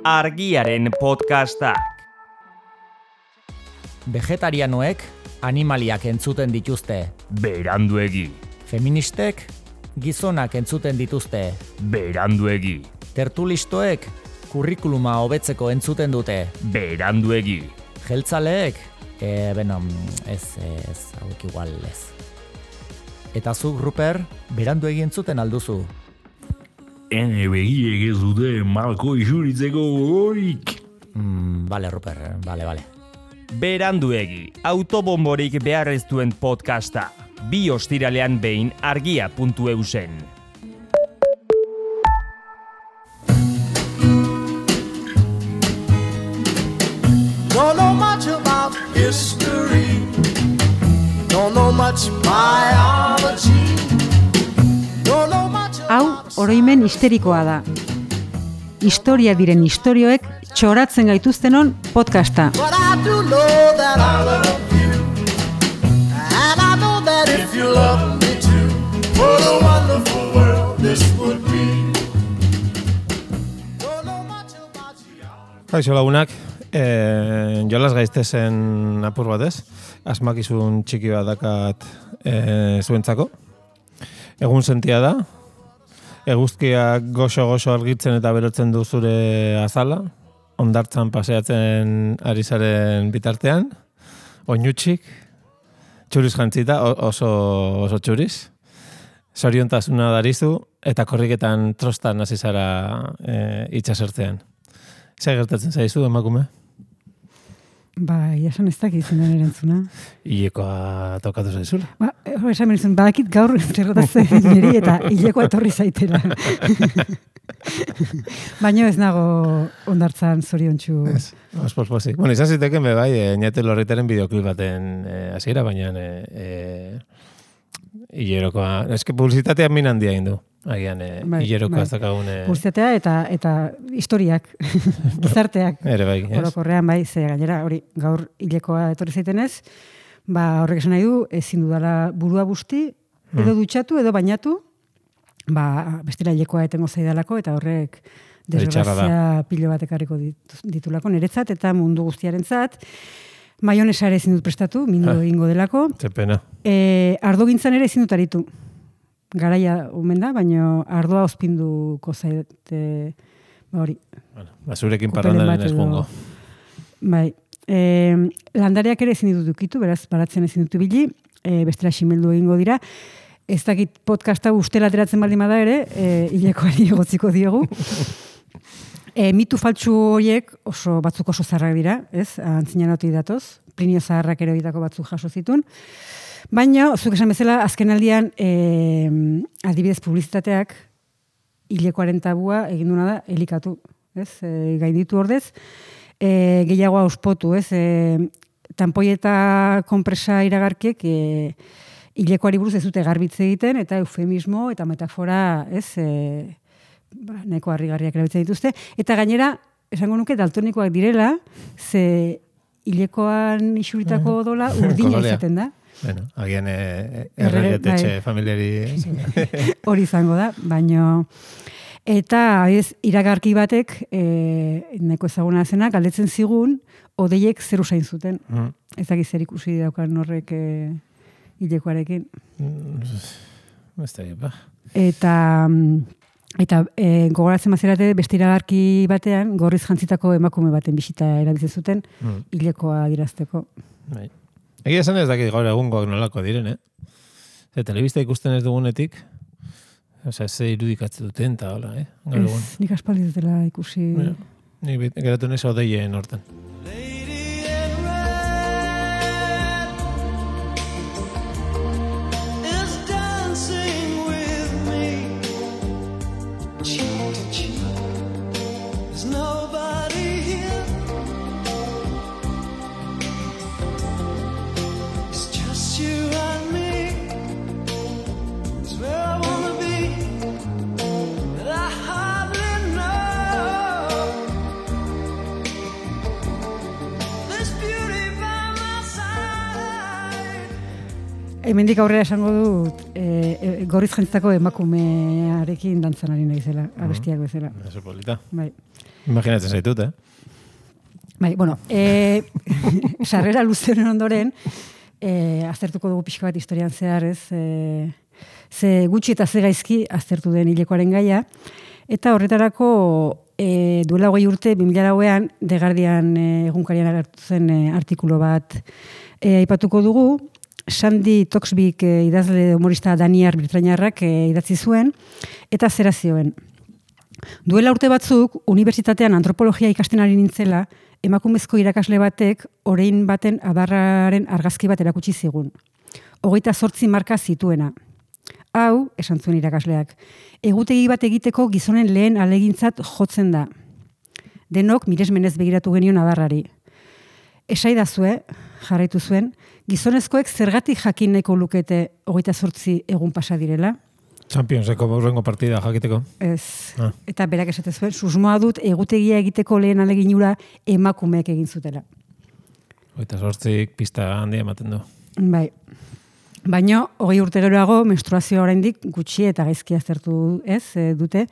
Argiaren podcastak. Vegetarianoek animaliak entzuten dituzte. Beranduegi. Feministek gizonak entzuten dituzte. Beranduegi. Tertulistoek kurrikuluma hobetzeko entzuten dute. Beranduegi. Jeltzaleek, ez, hauek igual ez. Eta zuk, Ruper, beranduegi entzuten alduzu. Ene begiek ez dute malko isuritzeko gogorik. Bale, Ruper, bale. Beranduegi, autobomborik behar ez duen podcasta. 2 ostiralean behin argia.eusen. Don't know much about history. Don't know much biology. Don't know much. Hau, oroimen histerikoa da. Historia diren istorioek txoratzen gaituztenon podcasta. But I do know that I love you. And I know that if you love me too, what a wonderful world this would be. Don't know much about you. Kaixo lagunak, jolas gaiztezen apur batez, asmakizun txiki bat dakat zuentzako. Egun sentia da, eguzkiak goxo argitzen eta berotzen du zure azala, hondartzan paseatzen ari zaren bitartean, oinutsik, txuriz jantzita, oso txuriz, zoriontasuna darizu, eta korriketan trostan hasi zara itxasertzean. Zer gertatzen zaizu, emakume? Ba, jasan ez dakit zendan erantzuna. Hilekoa tokatu zaizula. Ba, esan menizun, badakit gaur zerratatzen niri eta hilekoa etorri zaitera. Baina ez nago hondartzan zoriontsu. Ez, posposi. Bueno, izan ziteken be bai, Ñate Lorritaren bideoklip baten hasiera, baina hilerokoa, eske publizitatea min handia egin du. Agian, hilerokoa ez dakagun... Publizitatea eta historiak, gizarteak. Ere bai, ez? Orokorrean bai, ze gainera, hori, gaur hilekoa etorri zaitenez, ba, horrek esan nahi du, ezin dudala burua busti, edo dutxatu, edo bainatu, ba, bestela hilekoa etengo zaidalako, eta horrek desgrazia pilo bat ekarriko ditulako, niretzat eta mundu guztiarentzat. Maionesa ere ezin dut prestatu, minudo egingo delako. Ze pena. Ardogintzan ere ezin dut aritu. Garaia omen da, baina ardoa ospinduko zaite, hori. Bueno, zurekin parrandaren espongo. Bai. Landareak ere ezin ditut ukitu, beraz, baratzen ezin dut ibili, bestela ximeldu egingo dira. Ez dakit podcasta ustela ateratzen baldin bada ere, hilekoari egotziko diogu. Mitu faltsu horiek batzuk oso zaharrak dira, ez? Antzinan hoti datoz, Plinio zaharrak ere horietako batzuk jaso zitun. Baina, zuk esan bezala, azken aldian, adibidez publizitateak, hilekoaren tabua egin duna da, elikatu, ez? Gainditu ordez, gehiago auspotu, ez? Tanpoi eta konpresa iragarkiek, hilekoari buruz ez dute garbitze egiten, eta eufemismo eta metafora, ez? Nahiko harrigarriak erabiltzen dituzte. Eta gainera, esango nuke, daltonikoak direla, ze hilekoan isuritako odola urdina izaten da. Bueno, agian erregetetxe familiari... Hori izango da, baino... Eta, iragarki batek, nahiko ezaguna zena, galdetzen zigun, odeiek zer usain zuten. Ez dakit zer ikusi daukan horrek hilekoarekin. Ez da, ba. Eta gogoratzen mazerate, beste iragarki batean, gorriz jantzitako emakume baten bisita erabiltzen zuten, hilekoa dirazteko. Bai. Egia esan ez dakit gaur egungoak nolako diren, telebista ikusten ez dugunetik, ze irudikatzen duten, eta hola, gaur egun. Nik aspaldi dutela ikusi... Nik geratu nez odeien hortan. hemendik aurrera esango dut gorriz jantzako emakumearekin dantzan ari naizela, abestiak bezala. Eso polita. Bai. Imaginatzen zaitut, Bai, bueno, sarrera luzeren ondoren, aztertuko dugu pixka bat historian zehar, ez? Ze gutxi eta ze gaizki aztertu den hilekoaren gaia, eta horretarako duela 20 urte, 2008an, The Guardian egunkarian agertu zen artikulu bat aipatuko dugu, Sandy Toksvig idazle humorista daniar britainiarrak idatzi zuen, eta zera zioen. Duela urte batzuk, unibertsitatean antropologia ikasten ari nintzela, emakumezko irakasle batek orain baten adarraren argazki bat erakutsi zigun. 28 marka zituena. Hau, esan zuen irakasleak, egutegi bat egiteko gizonen lehen alegintzat jotzen da. Denok miresmenez begiratu genion adarrari. Esaidazue, jarraitu zuen, gizonezkoek zergatik jakin nahiko lukete 28 egun pasa direla? Championseko aurrengo partida jakiteko. Ez. Eta berak esate zuen, susmoa dut egutegia egiteko lehen aleginura emakumeek egin zutela. 28 pista handia ematen du. Bai. Baina, 20 urte geroago, menstruazioa oraindik gutxi eta gaizki aztertu dute,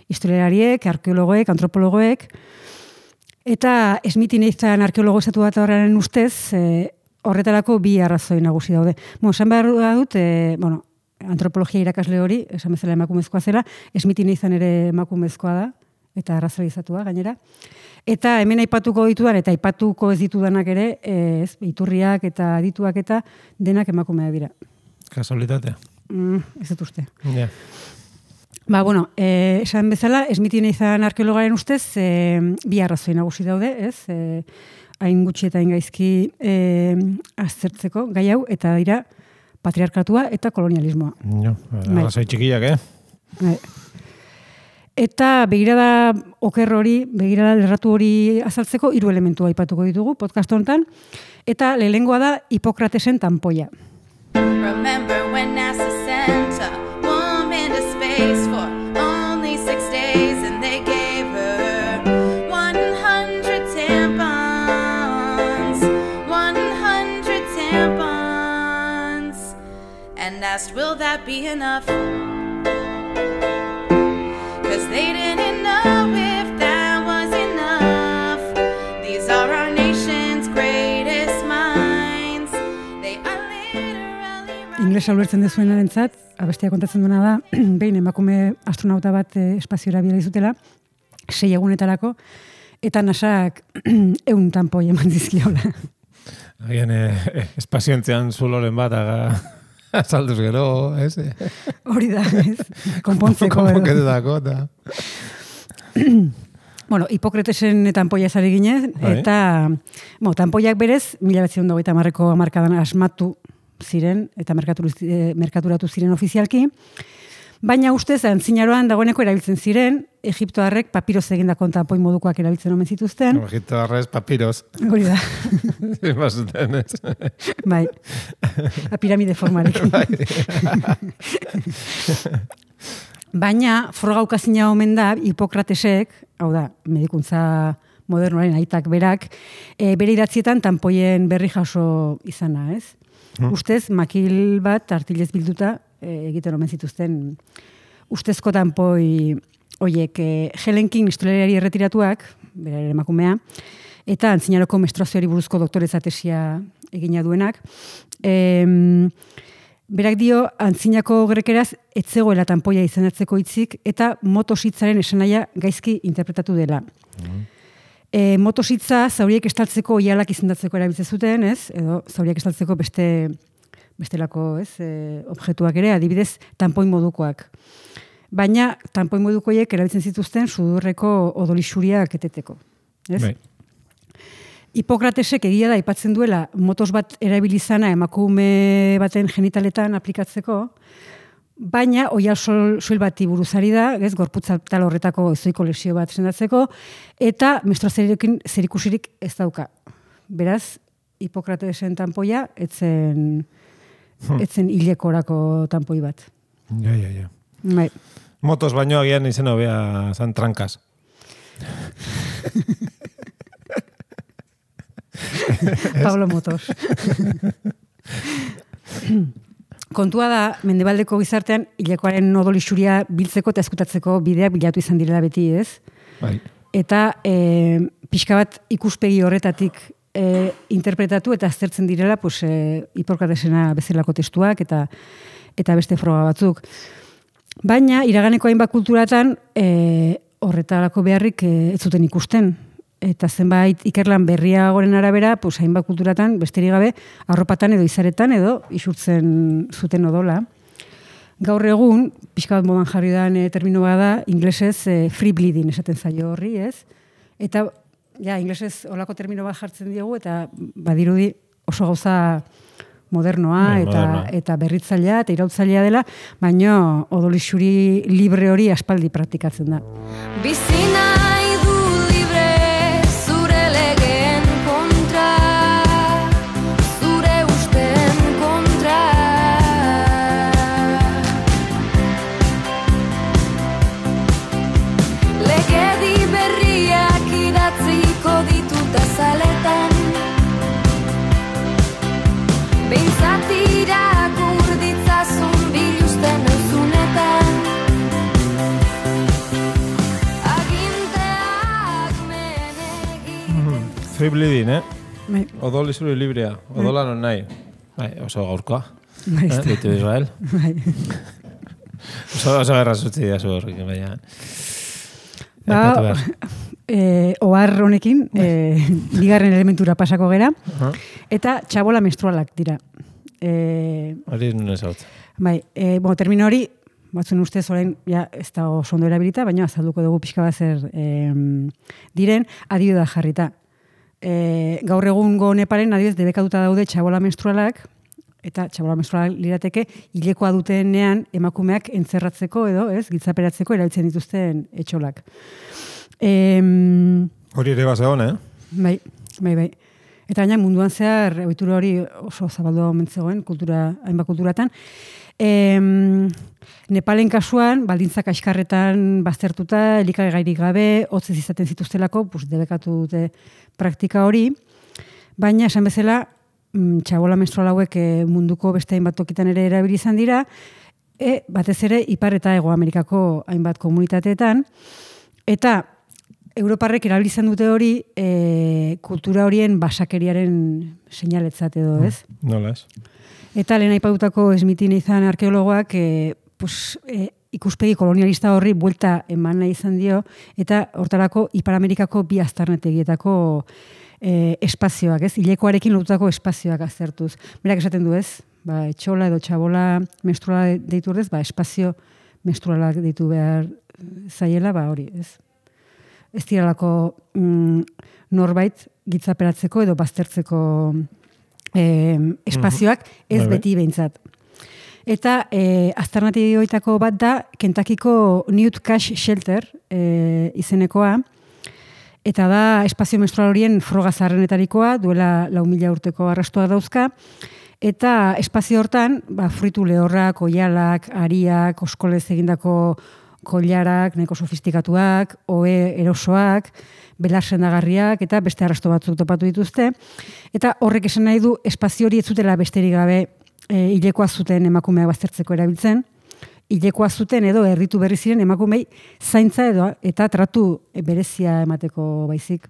historialariek, arkeologoek, antropologoek, eta Smithy Nathan arkeologo estatu bat horren ustez, horretarako bi arrazoi nagusi daude. Esan behar dut, antropologia irakasle hori, esan bezala emakumezkoa zela, Smithy Nathan ere emakumezkoa da, eta arrazoizatua gainera. Eta hemen aipatuko ditudan, eta aipatuko ez ditudanak ere, iturriak eta adituak eta denak emakumea dira. Kasualitatea. Ez dut uste. Ja. Esan bezala, Smithy Nathan arkeologaren ustez, bi arrazoi nagusi daude, hain gutxi eta hain gaizki aztertzeko gai hau, eta dira patriarkatua eta kolonialismoa. Arrazoi txikiak, Bai. Eta begirada oker hori, begirada lerratu hori azaltzeko 3 elementu aipatuko ditugu podcast honetan, eta lehengoa da Hipokratesen tanpoia. Remember when NASA sent a woman to space for only 6 days and they gave her 100 tampons, 100 tampons, and asked, will that be enough? They didn't know if that was enough. These are our nation's greatest minds. They are literally... Inglesa ulertzen dezuenarentzat, abestia kontatzen duena da, behin emakume astronauta bat espaziora bidali zutela, 6 egunetarako, eta NASAk 100 tanpoi eman dizkiola. Agian espazioentzean zuloren bat azalduz gero, ez? Hori da, ez? Konpontzeko. Konponketutako, eta... Hipokratesen tanpoia ezari ginez, eta tanpoiak berez, 1990ko hamarkadan asmatu ziren, eta merkaturatu ziren ofizialki, baina ustez, antzinaroan dagoeneko erabiltzen ziren, Egiptoarrek papiroz egindako tanpoi modukoak erabiltzen omen zituzten. Egiptoarrez papiroz. Hori da. Zimazuten, ez? Bai. A piramide formarekin. Baina, froga ukazina omen da, Hipokratesek, hau da, medikuntza modernoaren aitak berak, bere idatzietan tanpoien berri jaso izana, ez? Ustez, makil bat artilez bilduta egiten omen zituzten ustezko tanpoi oiek Helen King historialari erretiratuak, bere emakumea, eta antzinaroko menstruazioari buruzko doktoreza tesia egina duenak, berak dio, antzinako grekeraz etzegoela tanpoia izenatzeko hitzik eta motositzaren esanaia gaizki interpretatu dela. Motositza zauriek estaltzeko oialak izendatzeko erabiltzen zuten, ez? Edo zauriek estaltzeko bestelako, ez? Objektuak ere, adibidez, tanpoin modukoak. Baina, tanpoin modukoiek erabiltzen zituzten sudurreko odolixuriak eteteko. Ez? Bai. Hipokratesek egia da aipatzen duela motos bat erabilizana emakume baten genitaletan aplikatzeko, baina oial soil bati buruzari da, ez, gorputza tal horretako ezoiko lesio bat sendatzeko, eta menstruazioarekin zerikusirik ez dauka. Beraz, Hipokratesen tanpoia etzen hilekorako tanpoi bat. Ja. Bai. Motos baino agian izena hobea zan trankas. Pablo Motos. Kontua da, mendebaldeko gizartean, hilekoaren odol isuria biltzeko eta eskutatzeko bideak bilatu izan direla beti, ez? Bai. Eta pixka bat ikuspegi horretatik interpretatu eta aztertzen direla pues, Hiporkratesena bezalako testuak eta beste froga batzuk. Baina, iraganeko hainbat kulturatan horretarako beharrik ez zuten ikusten. Eta zenbait ikerlan berriagoren arabera, pues, hainbat kulturatan besterik gabe arropatan edo izaretan edo isurtzen zuten odola. Gaur egun, pixka bat modan jarri dan termino bada, inglesez free bleeding esaten zaio horri, ez? Eta, ja, inglesez olako termino bat jartzen diegu, eta badirudi oso gauza modernoa eta berritzailea eta irautzailea dela, baina odolixuri libre hori aspaldi praktikatzen da. Bizi nahi du libre zure legeen kontra, zure usten kontra. Legedi berriak idatziko ditut azaletan, behintzat irakur ditzazun biluzten euzunetan. Aginteak menegiten. Free bleeding, Bai, Odol izuri librea. Odola non nahi. Bai, oso gaurkoa. bai, Ditu Israel. bai. Oso errazutzi da zu horrik, baina. Ba, Aipatu behar. ohar honekin, bigarren elementura pasako gera, eta txabola menstrualak dira. Hori nun ez hau. Bai, termino hori, batzuen ustez orain, ja, ez da oso ondo erabilita, baina azalduko dugu pixka bat zer diren, adibide da jarrita. Gaur egungo Nepalen adibidez debekatuta daude txabola menstrualak, eta txabola menstrualak lirateke hilekoa dutenean emakumeak entzerratzeko edo, ez, gitzaperatzeko erabiltzen dituzten etxolak. Hori ere bazegon, Bai. Eta gaina munduan zehar ohitura hori oso zabaldu omen zegoen hainbat kulturatan. Nepalen kasuan, baldintzak askarretan baztertuta, elikagairik gabe, hotzez izaten zituztelako, debekatu dute praktika hori, baina esan bezala, txabola menstrual hauek munduko beste hainbat tokitan ere erabili izan dira, batez ere Ipar eta Hego Amerikako hainbat komunitateetan, eta Europarrek erabili izan dute hori kultura horien basakeriaren seinaletzat edo, ez? Nola ez? Eta lehen aipatutako Smithin izan arkeologoak ikuspegi kolonialista horri buelta eman nahi izan dio, eta hortarako Ipar Amerikako bi aztarnategietako espazioak, ez? Hilekoarekin lotutako espazioak aztertuz. Berak esaten du, ez? Etxola edo txabola menstruala deitu ordez, espazio menstrualak deitu behar zaiela, hori, ez? Ez diralako norbait gitzaperatzeko edo baztertzeko espazioak, ez beti behintzat. Eta aztarnategioetako bat da Kentuckyko Newt Cache Shelter izenekoa, eta da espazio menstrual horien froga zaharrenetarikoa, duela 4.000 urteko arrastoak dauzka, eta espazio hortan, fruitu lehorrak, oialak, ariak, oskolez egindako kollarak, nahiko sofistikatuak, ohe erosoak, belar sendagarriak, eta beste arrasto batzuk topatu dituzte. Eta horrek esan nahi du, espazio hori ez zutela besterik gabe hilekoa zuten emakumeak baztertzeko erabiltzen, hilekoa zuten edo erritu berri ziren emakumei zaintza edo eta tratu berezia emateko baizik.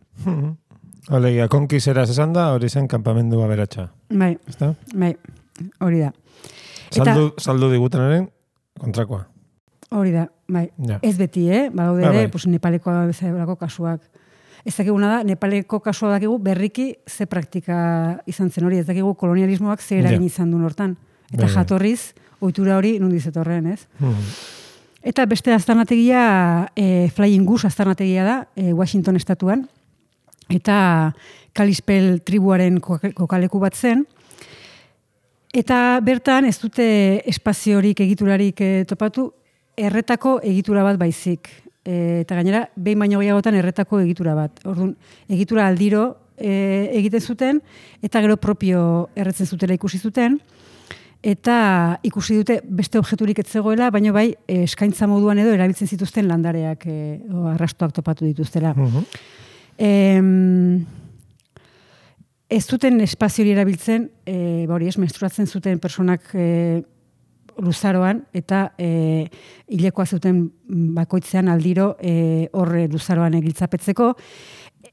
Alegia, konkiseraz esan da, hori zen kanpamendu aberatsa. Bai, Ezta? bai, hori da. Saldu digutenaren kontrakoa. Hori da, bai. Ja. Ez beti, Badaude ere, bai. Nepalekoa bezalako kasuak. Ez dakiguna da, Nepaleko kasua dakigu berriki ze praktika izan zen hori, ez dakigu kolonialismoak ze eragin izan duen hortan. Eta jatorriz, ohitura hori nondik zetorren, ez? Eta beste aztarnategia, Flying Goose aztarnategia da, Washington estatuan, eta Kalispel tribuaren kokaleku bat zen, eta bertan ez dute espaziorik egiturarik topatu, erretako egitura bat baizik. Eta gainera, behin baino gehiagotan erretako egitura bat. Orduan, egitura aldiro egiten zuten, eta gero propio erretzen zutela ikusi zuten, eta ikusi dute beste objeturik ez zegoela, baina bai eskaintza moduan edo erabiltzen zituzten landareak arrastoak topatu dituztela. Ez zuten espazio hori erabiltzen, hori menstruatzen zuten personak luzaroan, eta hilekoa zuten bakoitzean aldiro horre luzaroan egiltzapetzeko,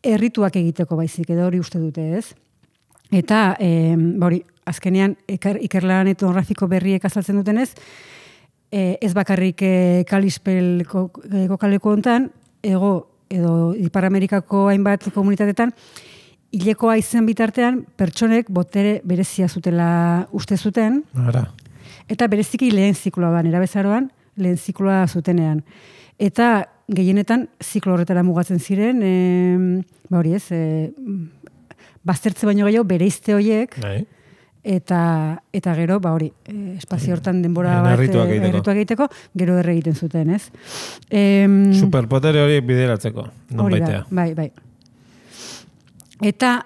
errituak egiteko baizik, edo hori uste dute, ez? Eta, hori, azkenean, ikerlan etnografiko berriek azaltzen dutenez, ez bakarrik Kalispel kokaleko hontan, edo Ipar Amerikako hainbat komunitatetan, hilekoa izen bitartean, pertsonek botere berezia zutela uste zuten, eta bereziki lehen zikloa erabezaroan, lehen zikloa zutenean. Eta gehienetan ziklo horretara mugatzen ziren, hori ez, baztertze baino gehiago bereizte horiek, eta gero, hori, espazio hortan denbora bat errituak egiteko, gero erre egiten zuten, ez? Superpotere horiek bideratzeko, non baitea. Bai. Eta,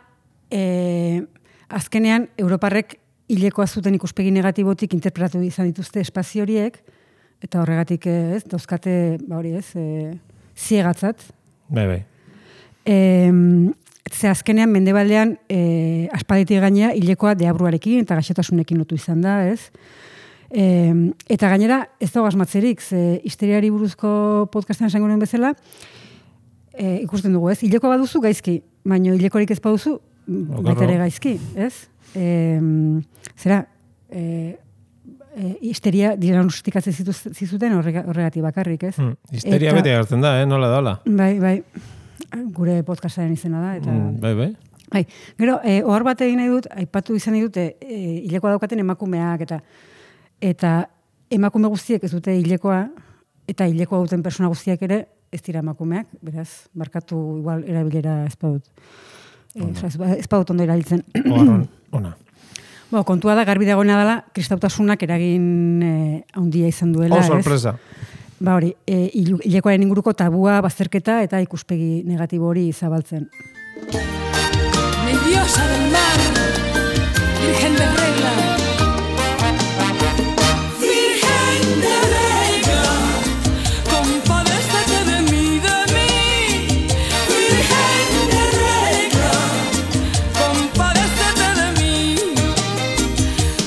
azkenean, Europarrek hilekoa zuten ikuspegi negatibotik interpretatu izan dituzte espazio horiek, eta horregatik, ez, dauzkate, hori ez, ziegatzat. Bai. Ze azkenean, mendebaldean, aspalditik gainera, hilekoa deabruarekin eta gaixotasunekin lotu izan da, ez? Eta gainera, ez dago asmatzerik, ze histeriari buruzko podcastean esango nuen bezala, ikusten dugu, ez? Hilekoa baduzu gaizki, baina hilekorik ez baduzu, baita ere gaizki, ez? Zera, histeria diagnostikatzen zizuten horregatik bakarrik, ez? Histeria bete hartzen da, nola da, hola? Bai. Gure podcastaren izena da. Eta... Bai. Gero, ohar bat egin nahi dut, aipatu izan nahi dute, hilekoa daukaten emakumeak, eta emakume guztiek ez dute hilekoa, eta hilekoa duten persona guztiak ere ez dira emakumeak, beraz, markatu igual erabilera ez badut. Ez badut ondo erabiltzen. Ona. Kontua da, garbi dagoena dela, kristautasunak eragin handia izan duela. Sorpresa. Hori, hilekoaren inguruko tabua, bazterketa eta ikuspegi negatibo hori zabaltzen. Mi diosa del mar, virgen de regla. Virgen de regla, compadécete de mí. Virgen de regla, compadécete de mí.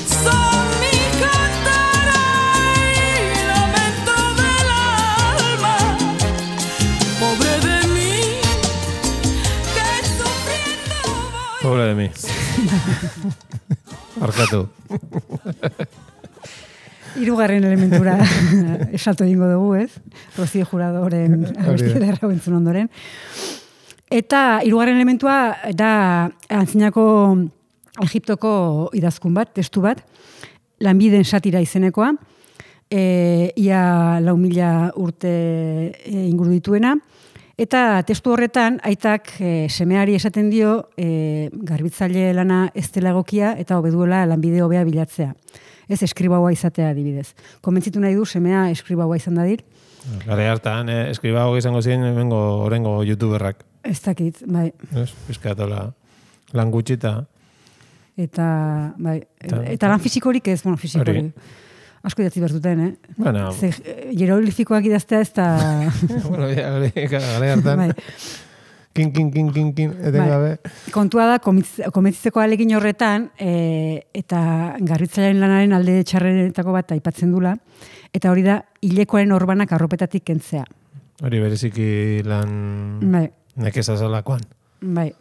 Son mi cantera y lamento del alma. Pobre de mí, que sufriendo voy. Pobre de mí. Arkatu. Hirugarren elementura esalto egingo dugu, ez? Rocío Juradoren abestiera errabentzun ondoren. Eta hirugarren elementua da antzinako Egiptoko idazkun bat, testu bat, lanbideen satira izenekoa, ia 4.000 urte inguru dituena, eta testu horretan aitak semeari esaten dio garbitzaile lana ez dela egokia eta hobeduela lanbide hobea bilatzea. Ez eskribaua izatea adibidez. Komentzitu nahi du semea eskribaua izan dadir. Gare hartan, eskribaua izango ziren orengo youtuberrak. Ez dakit, bai. Bizkatola lan gutxita. Eta lan fisikorik ez, fisikorik. Asko idatzi behar duten, Bueno. Hieroglifikoak idaztea ez da... Gare hartan. Kin, etengabe. Kontua da, komentzitzeko alegin horretan, eta garbitzailearen lanaren alde txarrenetako bat aipatzen dula, eta hori da, hilekoaren orbanak arropetatik kentzea. Hori bereziki lan nekeza zalakoan. Bai.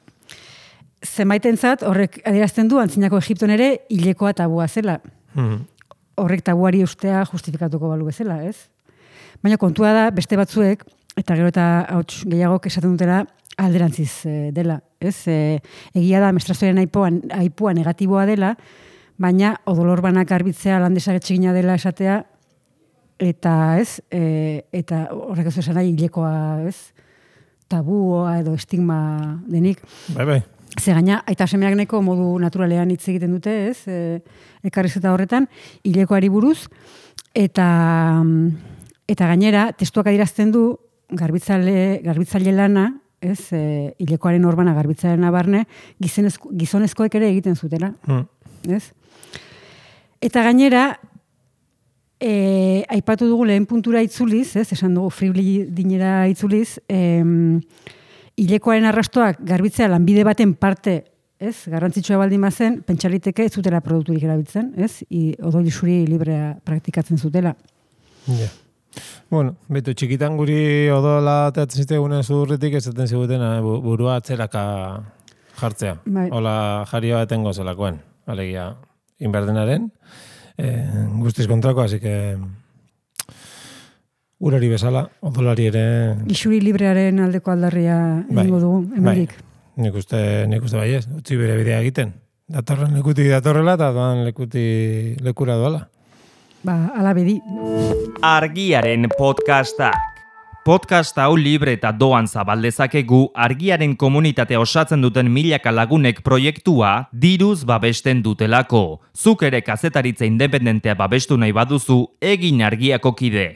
Zenbaitentzat, horrek adierazten du, antzinako Egipton ere, hilekoa tabua zela. Horrek tabuari ustea justifikatuko balu bezala, ez? Baina kontua da, beste batzuek, eta gero eta hauts gehiagok esaten dutela, alderantziz dela, ez? Egia da, menstruazioaren aipua negatiboa dela, baina odolor banak garbitzea landesagetxegina dela esatea, eta ez, eta horrek ez esan nahi hilekoa, ez? Tabua edo estigma denik. Bai. Ze gaina, aita semeak neko modu naturalean hitz egiten dute, ez? Elkarrizketa horretan, hilekoari buruz, eta gainera, testuak adierazten du, garbitzaile lana, ez, hilekoaren orbana garbitzaren barne, gizonezkoek ere egiten zutela. Ez? Eta gainera, aipatu dugu lehen puntura itzuliz, ez, esan dugu fribli dinera itzuliz, hilekoaren arrastoak garbitzea lanbide baten parte ez? Garrantzitsua baldin bazen, pentsaliteke ez zutela produkturik erabiltzen, ez? Odol isuri librea praktikatzen zutela. Ja. Bueno, betu, txikitan guri odola atatzen zitegunen zudurritik esaten ziguten burua atzeraka jartzea. Bai. Hola jarioa etengo zelakoen, alegia inberdenaren. Guztiz kontrako, así que urari bezala, odolari ere... Isuri librearen aldeko aldarria egingo dugu, hemendik. Nik uste baiez, utzi bere bidea egiten. Datorren lekutik datorrela eta doan lekura doala. Ala bedi. Argiaren podcastak. Podcast hau libre eta doan zabaldezakegu argiaren komunitatea osatzen duten milaka lagunek proiektua diruz babesten dutelako. Zuk ere kazetaritza independentea babestu nahi baduzu, egin argiako kide.